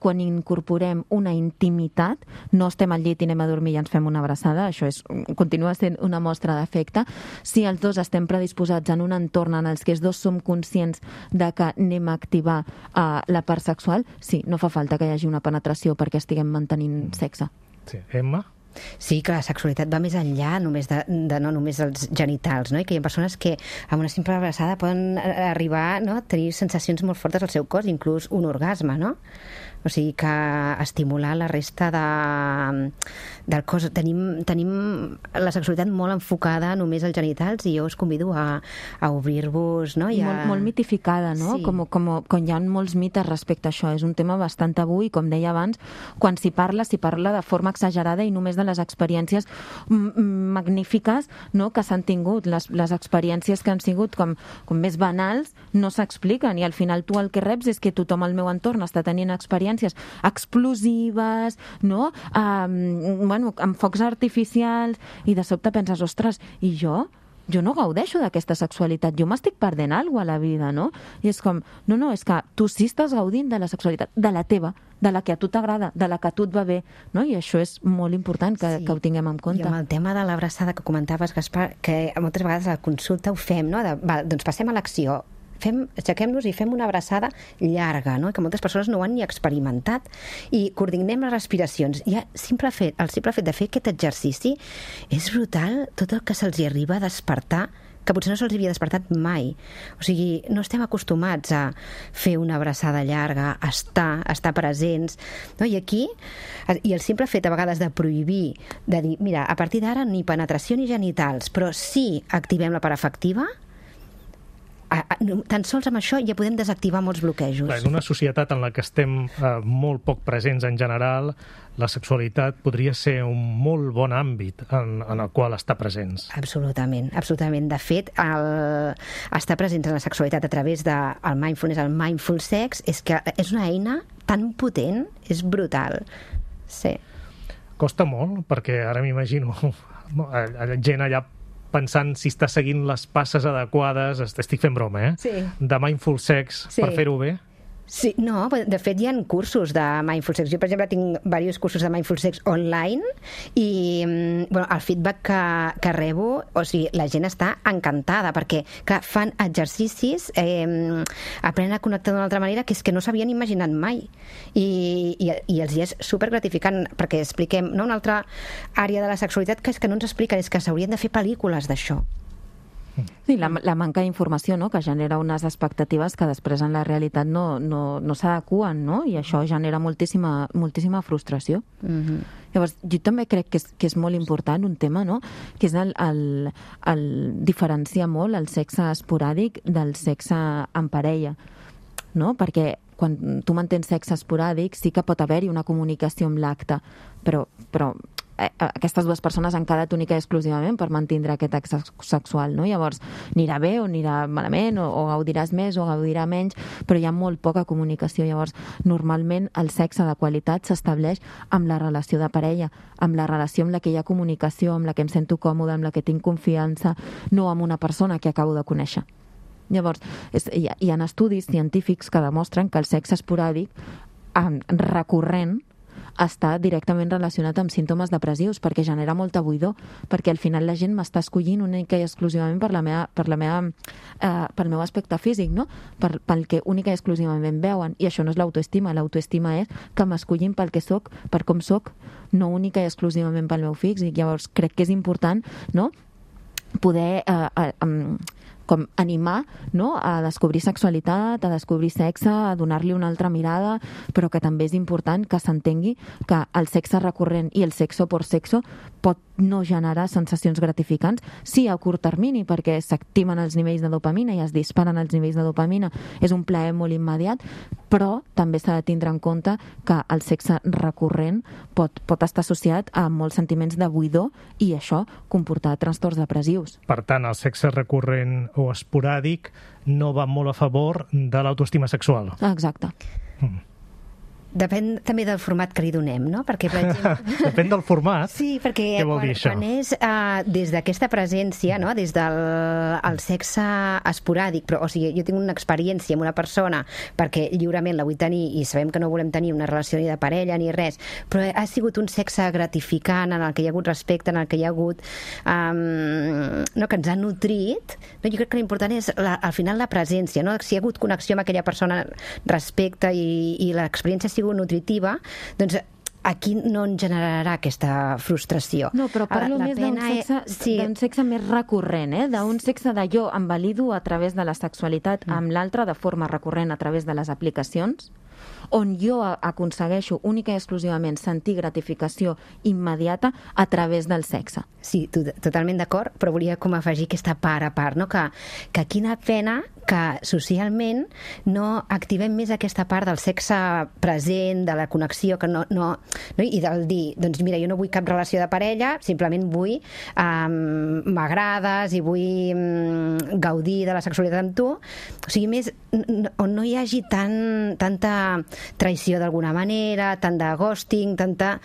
Quan incorporem una intimitat, no estem al llit i anem a dormir i ens fem una abraçada, això continua sent una mostra d'afecte. Si els dos estem predisposats en un entorn en els que els dos som conscients de que anem a activar la part sexual, sí, no fa falta que hi hagi una penetració perquè estiguem mantenint sexe. Sí. Emma? Sí, que la sexualitat va més enllà només no només dels genitals, no? I que hi ha persones que amb una simple abraçada poden arribar, no?, a tenir sensacions molt fortes al seu cos, inclús un orgasme, no? O sigui que estimular la resta del cos. Tenim la sexualitat molt enfocada només als genitals i jo us convido a obrir-vos, no? Molt mitificada, no? Sí. Com hi ha molts mites respecte a això. És un tema bastant tabú i, com deia abans, quan s'hi parla de forma exagerada i només de les experiències magnífiques, no?, que s'han tingut. Les experiències que han sigut com més banals no s'expliquen i al final tu el que reps és que tothom al meu entorn està tenint experiències explosives, no? Amb focs artificials, i de sobte penses, ostres, i jo? jo no gaudeixo d'aquesta sexualitat, jo m'estic perdent alguna cosa a la vida, no? I és com, no, és que tu sí estàs gaudint de la sexualitat, de la teva, de la que a tu t'agrada, de la que a tu et va bé, no? I això és molt important que ho tinguem en compte. I amb el tema de l'abraçada que comentaves, Gaspar, que moltes vegades a la consulta ho fem, no? Doncs passem a l'acció, aixequem-nos i fem una abraçada llarga, no? Que moltes persones no ho han ni experimentat, i coordinem les respiracions. Ja el simple fet de fer aquest exercici és brutal, tot el que se'ls hi arriba a despertar, que potser no se'ls havia despertat mai. O sigui, no estem acostumats a fer una abraçada llarga, a estar presents, no? I aquí, i el simple fet a vegades de prohibir, de dir, mira, a partir d'ara ni penetració ni genitals, però sí activem la part afectiva, tan sols amb això ja podem desactivar molts bloquejos. En una societat en la que estem molt poc presents en general, la sexualitat podria ser un molt bon àmbit en el qual estar presents. Absolutament. De fet, estar presents en la sexualitat a través del mindfulness, el mindful sex, és que és una eina tan potent, és brutal. Sí. Costa molt, perquè ara m'imagino gent allà pensant si està seguint les passes adequades, estic fent broma, Sí. De mindful sex per fer-ho bé. Sí, no, de fet hi ha cursos de mindful sex. Jo, per exemple, tinc diversos cursos de mindful sex online i el feedback que rebo, o sigui, la gent està encantada perquè, clar, fan exercicis, aprenen a connectar d'una altra manera que és que no s'havien imaginat mai. I els hi és supergratificant perquè expliquem, no, una altra àrea de la sexualitat que és que no ens expliquen, és que s'haurien de fer pel·lícules d'això. Sí, la manca d'informació, no?, que genera unes expectatives que després en la realitat no s'adequen, no? I això genera moltíssima frustració. Llavors, jo també crec que és molt important un tema, no?, que és el diferenciar molt el sexe esporàdic del sexe en parella, no? Perquè quan tu mantens sexe esporàdic sí que pot haver-hi una comunicació amb l'acte, però aquestes dues persones han quedat única i exclusivament per mantindre aquest acte sexual, no? Llavors, anirà bé o anirà malament, o gaudiràs més o gaudirà menys, però hi ha molt poca comunicació. Llavors, normalment el sexe de qualitat s'estableix amb la relació de parella, amb la relació amb la que hi ha comunicació, amb la que em sento còmode, amb la que tinc confiança, no amb una persona que acabo de conèixer. Llavors, hi ha estudis científics que demostren que el sexe esporàdic recurrent està directament relacionat amb símptomes depressius, perquè genera molta buidor, perquè al final la gent m'està escollint única i exclusivament pel meu aspecte físic, no? Pel que única i exclusivament veuen, i això no és l'autoestima. L'autoestima és que m'escollin pel que soc, per com soc, no única i exclusivament pel meu físic. Llavors crec que és important, no?, poder com animar, no?, a descobrir sexualitat, a descobrir sexe, a donar-li una altra mirada, però que també és important que s'entengui que el sexe recurrent i el sexo por sexo pot no generar sensacions gratificants, sí a curt termini, perquè s'activen els nivells de dopamina i es disparen els nivells de dopamina, és un plaer molt immediat, però també s'ha de tindre en compte que el sexe recurrent pot estar associat a molts sentiments de buidor i això comportar trastorns depressius. Per tant, el sexe recurrent o esporàdic no va molt a favor de l'autoestima sexual. Exacte. Depèn també del format que li donem, no? Perquè, per exemple... Depèn del format? Sí, perquè què vol dir això? Quan és des d'aquesta presència, no?, des del sexe esporàdic, però, o sigui, jo tinc una experiència amb una persona perquè lliurement la vull tenir i sabem que no volem tenir una relació ni de parella ni res, però ha sigut un sexe gratificant en el que hi ha hagut respecte, en el que hi ha hagut no, que ens ha nutrit, no? Jo crec que l'important és al final la presència, no? Si hi ha hagut connexió amb aquella persona, respecte i l'experiència ha sigut nutritiva, doncs aquí no en generarà aquesta frustració. No, però parlo més d'un sexe més recurrent, d'un sexe de jo em valido a través de la sexualitat amb l'altre de forma recurrent a través de les aplicacions, on jo aconsegueixo única i exclusivament sentir gratificació immediata a través del sexe. Sí, totalment d'acord, però volia com afegir aquesta part a part, no? Que quina pena que socialment no activem més aquesta part del sexe present, de la connexió, que no, i del dir, doncs mira, jo no vull cap relació de parella, simplement vull m'agrades i vull gaudir de la sexualitat amb tu, o sigui, més on no hi hagi tanta traïció d'alguna manera, tant de ghosting, tanta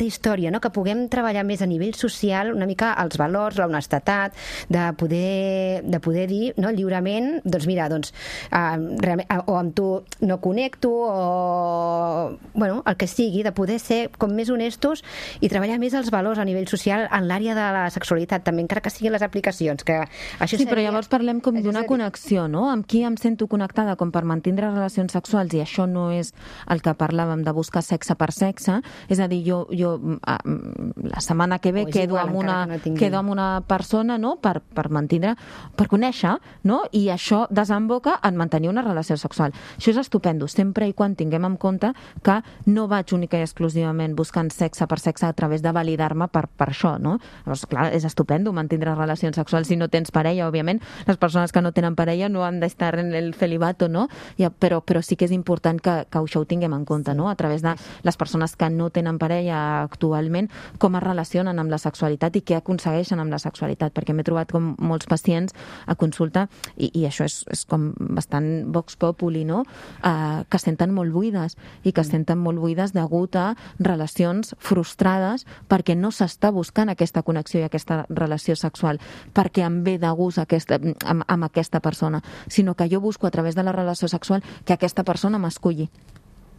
història, no? Que puguem treballar més a nivell social una mica els valors, l'honestedat, de poder dir, no, lliurement, doncs mira, o amb tu no connecto, o bueno, el que sigui, de poder ser com més honestos i treballar més els valors a nivell social en l'àrea de la sexualitat, també, encara que siguin les aplicacions. Que això sí, però llavors parlem com d'una connexió, no? Amb qui em sento connectada com per mantindre relacions sexuals, i això no és el que parlàvem de buscar sexe per sexe, és a dir, jo la setmana que ve quedo amb una persona, no?, per mantindre, per conèixer, no?, i això desemboca en mantenir una relació sexual. Això és estupendo, sempre i quan tinguem en compte que no vaig única i exclusivament buscant sexe per sexe a través de validar-me per això, no? Llavors, clar, és estupendo mantenir relacions sexuals si no tens parella, òbviament. Les persones que no tenen parella no han d'estar en el celibato, no? Però sí que és important que això ho tinguem en compte, no? A través de les persones que no tenen parella actualment, com es relacionen amb la sexualitat i què aconsegueixen amb la sexualitat, perquè m'he trobat com molts pacients a consulta, i això és com bastant vox populi, no?, que senten molt buides, i que senten molt buides degut a relacions frustrades perquè no s'està buscant aquesta connexió i aquesta relació sexual perquè em ve de gust amb aquesta persona, sinó que jo busco a través de la relació sexual que aquesta persona m'esculli.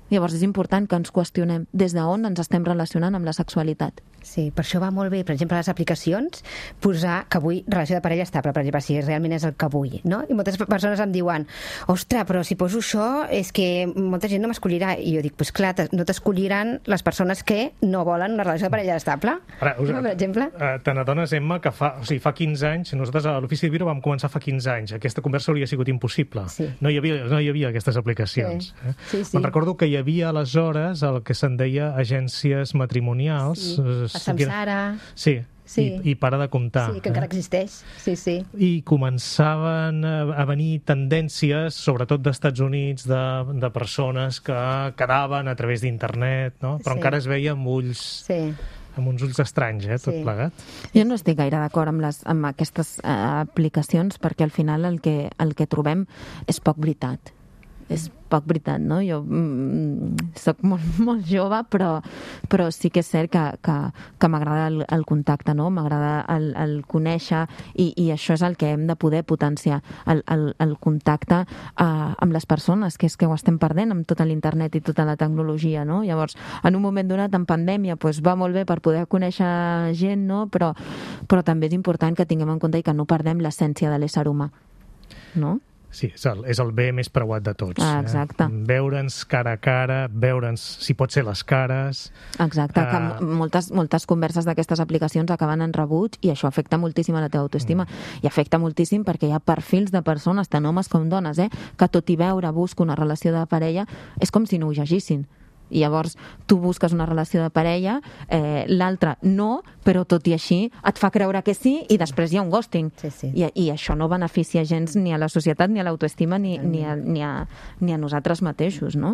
Llavors és important que ens qüestionem des d'on ens estem relacionant amb la sexualitat. Sí, per això va molt bé, per exemple, a les aplicacions, posar que vull relació de parella estable, per exemple, si realment és el que vull, no? I moltes persones em diuen, ostres, però si poso això és que molta gent no m'escollirà. I jo dic, doncs clar, no t'escolliran les persones que no volen una relació de parella estable. Ara, per exemple. Te n'adones, Emma, que fa 15 anys, nosaltres a l'Ofici de Viure vam començar fa 15 anys. Aquesta conversa hauria sigut impossible. Sí. No hi havia aquestes aplicacions. Sí. Me'n recordo que hi havia aleshores el que se'n deia agències matrimonials. A Samsara. Sí. I para de comptar. Sí, que encara existeix. Sí. I començaven a venir tendències, sobretot d'Estats Units, de persones que quedaven a través d'internet, no? Però encara es veia amb ulls... Sí. Amb uns ulls estranys, tot plegat. Jo no estic gaire d'acord amb aquestes aplicacions, perquè al final el que trobem és poc veritat. És poc veritat, no? Jo soc molt jove, però sí que és cert que m'agrada el contacte, no? M'agrada el conèixer, i això és el que hem de poder potenciar, el contacte amb les persones, que és que ho estem perdent amb tota l'internet i tota la tecnologia, no? Llavors, en un moment donat, en pandèmia, doncs va molt bé per poder conèixer gent, no? Però també és important que tinguem en compte i que no perdem l'essència de l'ésser humà, no? Sí, és el bé més preuat de tots. Exacte. Veure'ns cara a cara, veure'ns, si pot ser, les cares... Exacte, que moltes converses d'aquestes aplicacions acaben en rebuig, i això afecta moltíssim a la teva autoestima. I afecta moltíssim perquè hi ha perfils de persones, tant homes com dones, que tot i veure busco una relació de parella, és com si no ho llegissin. I llavors tu busques una relació de parella, l'altre no, però tot i així et fa creure que sí, i després hi ha un ghosting. Sí. I això no beneficia gens ni a la societat, ni a l'autoestima, ni a nosaltres mateixos, no?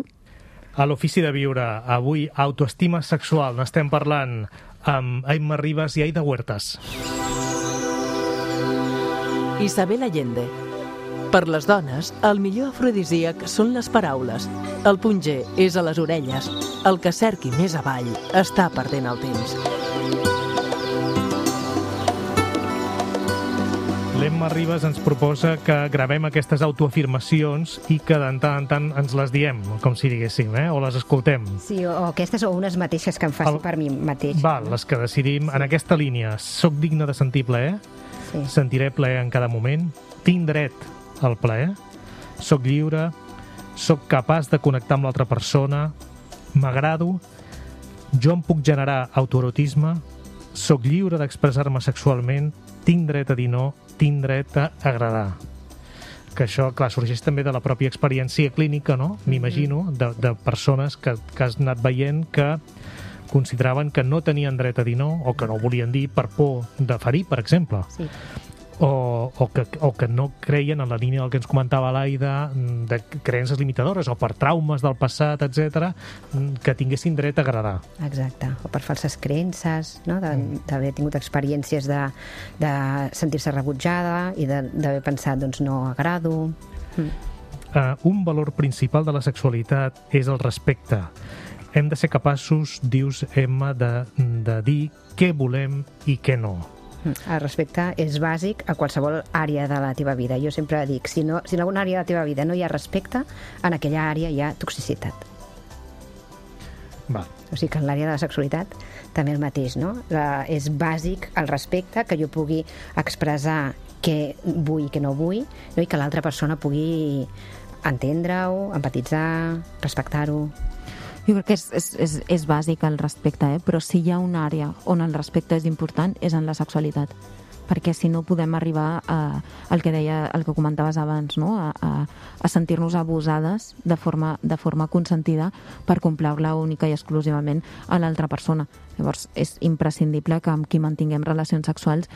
A l'Ofici de Viure, avui, autoestima sexual. N'estem parlant amb Emma Ribas i Aida Huertas. Isabel Allende. Per les dones, el millor afrodisíac són les paraules. El punt G és a les orelles. El que cerqui més avall està perdent el temps. L'Emma Ribas ens proposa que gravem aquestes autoafirmacions i que de tant en tant ens les diem, com si diguéssim, o les escoltem. Sí, o aquestes o unes mateixes que em faci per mi mateix. Val, les que decidim en aquesta línia. Soc digne de sentir plaer? Sí. Sentiré plaer en cada moment? Tinc dret al plaer? Soc lliure? Soc capaç de connectar amb l'altra persona? M'agrado? Jo em puc generar autoerotisme? Soc lliure d'expressar-me sexualment? Tinc dret a dir no? Tinc dret a agradar? Que això, clar, sorgeix també de la pròpia experiència clínica, no? M'imagino, de persones que has anat veient que consideraven que no tenien dret a dir no, o que no ho volien dir per por de ferir, per exemple. Sí. o que no creien en la línia del que ens comentava l'Aida, de creences limitadores o per traumes del passat, etc, que tinguessin dret a agradar. Exacte, o per falses creences, no? D'haver tingut experiències de sentir-se rebutjada i d'haver pensat, doncs, no agrado. Un valor principal de la sexualitat és el respecte. Hem de ser capaços, dius, Emma, de dir què volem i què no. El respecte és bàsic a qualsevol àrea de la teva vida. Jo sempre dic, si en alguna àrea de la teva vida no hi ha respecte, en aquella àrea hi ha toxicitat. Va. O sigui que en l'àrea de la sexualitat també el mateix, no? És bàsic el respecte, que jo pugui expressar què vull i què no vull, no? I que l'altra persona pugui entendre-ho, empatitzar, respectar-ho. Jo crec que és bàsic el respecte, però si hi ha una àrea on el respecte és important és en la sexualitat, perquè si no podem arribar al que deia, el que comentaves abans, no? a sentir-nos abusades de forma consentida per complaure única i exclusivament a l'altra persona. Llavors és imprescindible que amb qui mantinguem relacions sexuals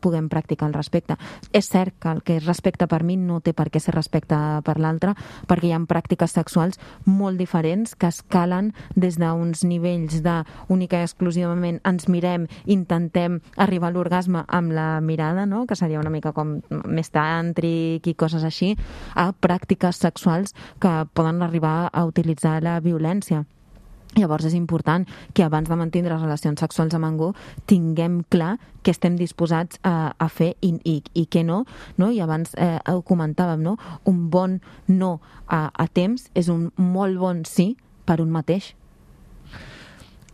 puguem practicar el respecte. És cert que el que és respecte per mi no té per què ser respecte per l'altre, perquè hi ha pràctiques sexuals molt diferents que escalen des d'uns nivells de única i exclusivament ens mirem, intentem arribar a l'orgasme amb la mirada, no? Que seria una mica com més tàntric i coses així, a pràctiques sexuals que poden arribar a utilitzar la violència. Llavors és important que abans de mantindre relacions sexuals amb algú tinguem clar què estem disposats a fer i què no? I abans ho comentàvem, no? Un bon no a temps és un molt bon sí per un mateix.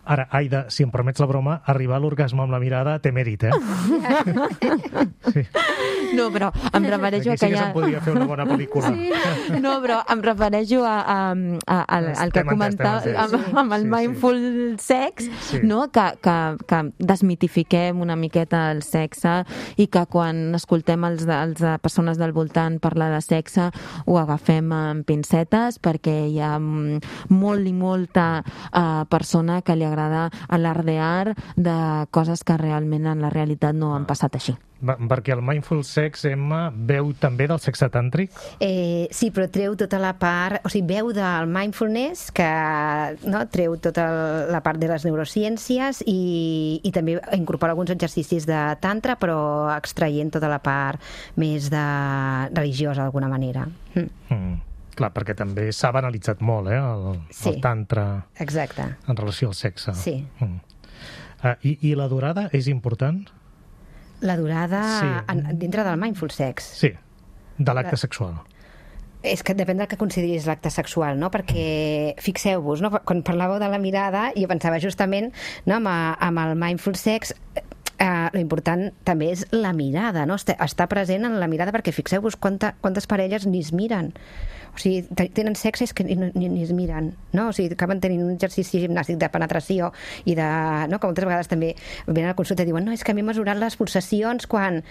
Ara, Aida, si em permets la broma, arribar a l'orgasme amb la mirada té mèrit, Sí. No, però em refereixo aquí sí que se'n podria fer una bona pel·lícula. Sí. No, però em refereixo al que comentava amb el mindful sex, no? Que desmitifiquem una miqueta el sexe i que quan escoltem els persones del voltant parlar de sexe ho agafem amb pincetes, perquè hi ha molt i molta persona que li agrada alardear de coses que realment en la realitat no han passat així. Perquè el mindful sex, Emma, veu també del sexe tàntric? Sí, però treu tota la part... O sigui, veu del mindfulness, que treu tota la part de les neurociències i també incorpora alguns exercicis de tantra, però extraient tota la part més religiosa, d'alguna manera. Clar, perquè també s'ha banalitzat molt, el tantra. Exacte. En relació al sexe. Sí. I la durada és important? La durada dintre del mindful sex? Sí, de l'acte sexual. És que depèn del que consideris l'acte sexual, no? Perquè, fixeu-vos, no? Quan parlàveu de la mirada, jo pensava justament, no? amb el mindful sex, l'important també és la mirada, no? Estar present en la mirada, perquè fixeu-vos quantes parelles ni es miren. O sigui, tenen sexe que ni es miren, no? O sigui, acaben tenint un exercici gimnàstic de penetració i de... No? Que moltes vegades també venen a la consulta i diuen no, és que m'he mesurat les pulsacions quan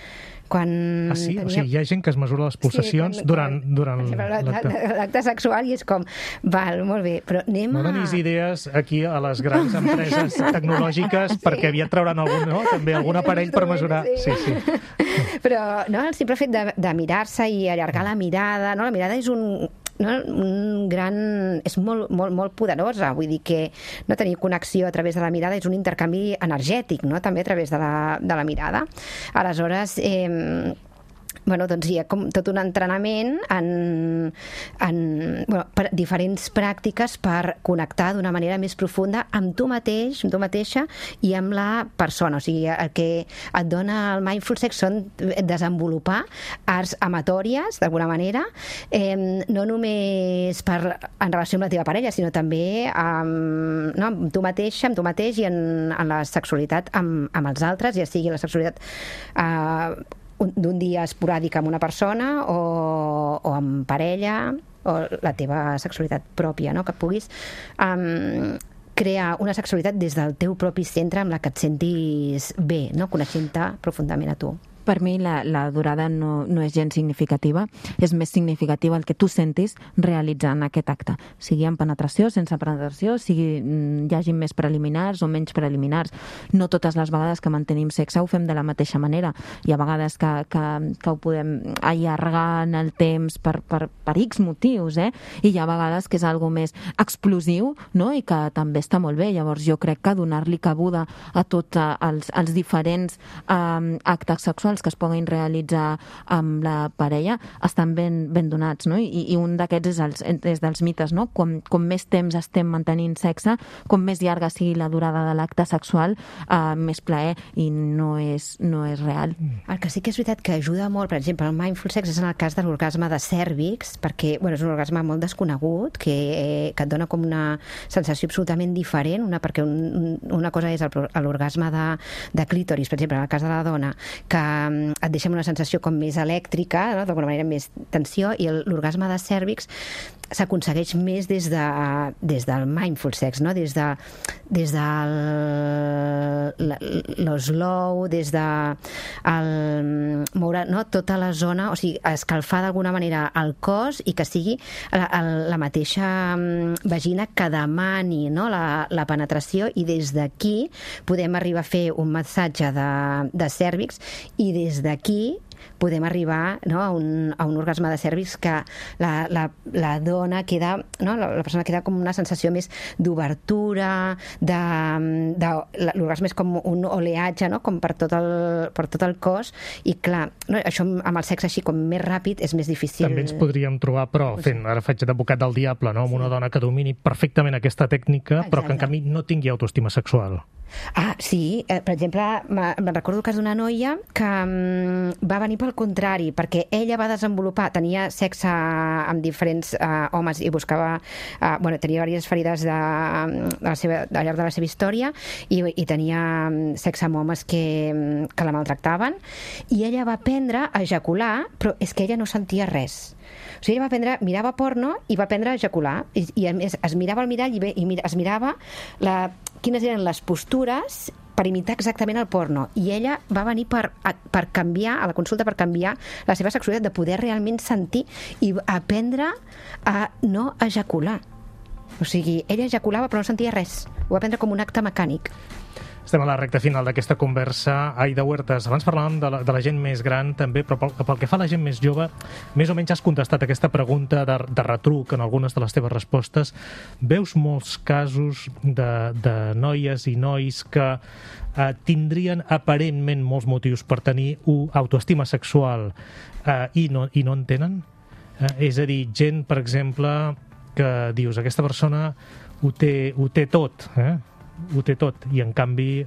o sigui, hi ha gent que es mesura les pulsacions durant l'acte sexual i és com, val, molt bé, però anem No donis idees aquí a les grans empreses tecnològiques perquè aviat trauran també algun aparell per mesurar... Sí. Però el simple fet de mirar-se i allargar la mirada, no? La mirada és un gran... és molt, molt, molt poderosa, vull dir que no tenir connexió a través de la mirada és un intercanvi energètic, no? També a través de la mirada. Aleshores, doncs hi ha com tot un entrenament per diferents pràctiques per connectar d'una manera més profunda amb tu mateix, amb tu mateixa i amb la persona. O sigui, el que et dona el mindful sex són desenvolupar arts amatòries, d'alguna manera, no només en relació amb la teva parella, sinó també amb tu mateixa, amb tu mateix i en la sexualitat amb els altres, ja sigui la sexualitat d'un dia esporàdic amb una persona o amb parella o la teva sexualitat pròpia, no? Que puguis crear una sexualitat des del teu propi centre amb la que et sentis bé, no? Coneixent-te profundament a tu. Per mi la durada no és gens significativa, és més significativa el que tu sentis realitzant aquest acte, sigui en penetració, sense penetració, sigui hi hagi més preliminars o menys preliminars. No totes les vegades que mantenim sexe ho fem de la mateixa manera. Hi ha vegades que ho podem allargar en el temps per X motius, i hi ha vegades que és algo més explosiu, no? I que també està molt bé. Llavors jo crec que donar-li cabuda a tots els diferents actes sexuals que es puguin realitzar amb la parella estan ben donats, no? I un d'aquests és dels mites, no? Com més temps estem mantenint sexe, com més llarga sigui la durada de l'acte sexual, més plaer, i no és real. El que sí que és veritat que ajuda molt, per exemple, el mindful sex és en el cas de l'orgasme de cèrvix, perquè és un orgasme molt desconegut, que et dona com una sensació absolutament diferent, perquè una cosa és l'orgasme de clítoris, per exemple, en el cas de la dona, que et deixa una sensació com més elèctrica, no? D'alguna manera més tensió, i l'orgasme de cèrvix s'aconsegueix més des del mindful sex, no? Des del l'slow, des de moure, no? Tota la zona, o sigui, escalfar d'alguna manera el cos i que sigui la mateixa vagina que demani, no? la penetració, i des d'aquí podem arribar a fer un massatge de cèrvix, i des d'aquí podem arribar, no? a un orgasme de cèrvix que la dona queda, no? La persona queda com una sensació més d'obertura, l'orgasme és com un oleatge, no? Com per tot el cos, i clar, no? Això amb el sexe així com més ràpid és més difícil. També ens podríem trobar, però ara faig d'advocat del diable, no? Amb una dona que domini perfectament aquesta tècnica, però que en canvi no tingui autoestima sexual. Sí, per exemple, me'n recordo el cas d'una noia que va venir pel contrari, perquè ella va desenvolupar, tenia sexe amb diferents homes i buscava, tenia diverses ferides al llarg de la seva història, i tenia sexe amb homes que la maltractaven, i ella va aprendre a ejacular, però és que ella no sentia res. O sigui, ella mirava porno i va aprendre a ejacular, i a més es mirava al mirall i es mirava quines eren les postures per imitar exactament el porno, i ella va venir per canviar, a la consulta, per canviar la seva sexualitat, de poder realment sentir i aprendre a no ejacular. O sigui, ella ejaculava però no sentia res, ho va aprendre com un acte mecànic. Estem a la recta final d'aquesta conversa. Aida Huertas, abans parlàvem de la gent més gran també, però pel que fa a la gent més jove, més o menys has contestat aquesta pregunta de retruc en algunes de les teves respostes. Veus molts casos de noies i nois que tindrien aparentment molts motius per tenir autoestima sexual i no en tenen? És a dir, gent, per exemple, que dius, aquesta persona ho té tot, ho té tot, i en canvi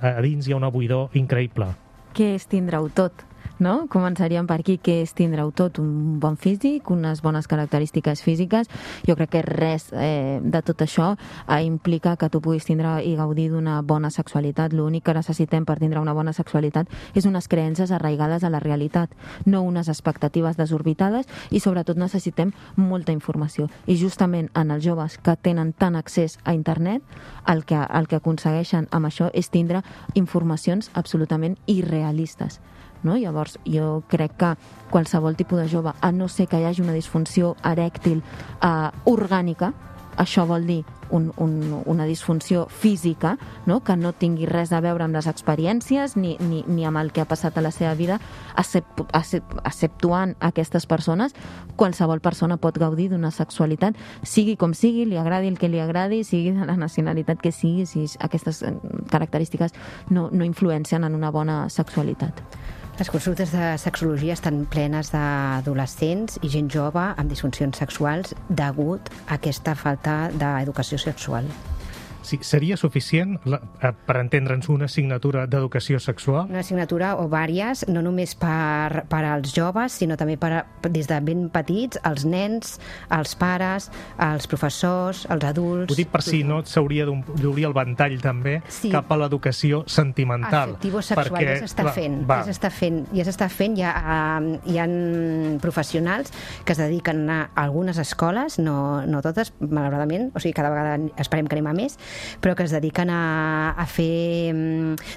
a dins hi ha una buidor increïble. Què és tindre-ho tot? No? Començaríem per aquí. Què és tindre-ho tot? Un bon físic, unes bones característiques físiques. Jo crec que res de tot això implica que tu puguis tindre i gaudir d'una bona sexualitat. L'únic que necessitem per tindre una bona sexualitat és unes creences arraigades a la realitat, no unes expectatives desorbitades, i sobretot necessitem molta informació. I justament en els joves que tenen tant accés a internet, el que aconsegueixen amb això és tindre informacions absolutament irrealistes. No? Llavors, jo crec que qualsevol tipus de jove, a no ser que hi hagi una disfunció erèctil orgànica, això vol dir una disfunció física, no? Que no tingui res a veure amb les experiències ni amb el que ha passat a la seva vida, exceptuant aquestes persones, qualsevol persona pot gaudir d'una sexualitat, sigui com sigui, li agradi el que li agradi, sigui de la nacionalitat que sigui, si aquestes característiques no influencien en una bona sexualitat. Les consultes de sexologia estan plenes d'adolescents i gent jove amb disfuncions sexuals degut a aquesta falta d'educació sexual. Sí, seria suficient, per entendre'ns, una assignatura d'educació sexual? Una assignatura o vàries, no només per als joves, sinó també des de ben petits, els nens, els pares, els professors, els adults... Ho dic per si no s'hauria d'obrir el ventall també cap a l'educació sentimental. Afectivo-sexual, ja s'està fent. Hi ha professionals que es dediquen a algunes escoles, no totes, malauradament, o sigui, cada vegada esperem que anem a més, però que es dediquen a fer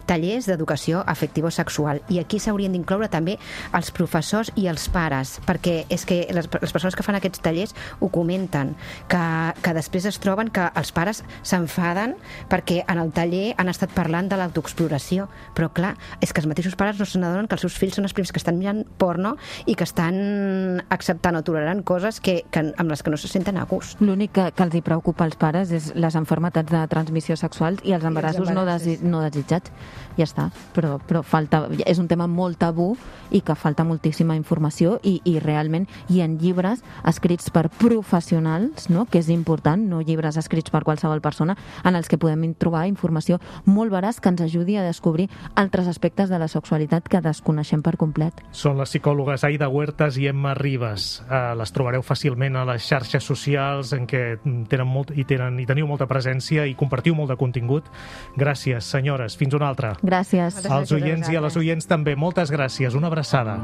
tallers d'educació afectivo-sexual. I aquí s'haurien d'incloure també els professors i els pares, perquè és que les persones que fan aquests tallers ho comenten, que després es troben que els pares s'enfaden perquè en el taller han estat parlant de l'autoexploració, però clar, és que els mateixos pares no se n'adonen que els seus fills són els primers que estan mirant porno i que estan acceptant o tolerant coses amb les que no se senten a gust. L'únic que els hi preocupa als pares és les malalties de transmissió sexual i els embarassos no desitjats. Ja està, però falta, és un tema molt tabú i que falta moltíssima informació i realment hi ha llibres escrits per professionals, no?, que és important, no llibres escrits per qualsevol persona, en els que podem trobar informació molt veraç que ens ajudi a descobrir altres aspectes de la sexualitat que desconeixem per complet. Són les psicòlogues Aida Huertas i Emma Ribas. Les trobareu fàcilment a les xarxes socials en què teniu molta presència i compartiu molt de contingut. Gràcies, senyores. Fins una altra. Gràcies. Als oients i a les oients també. Moltes gràcies. Una abraçada.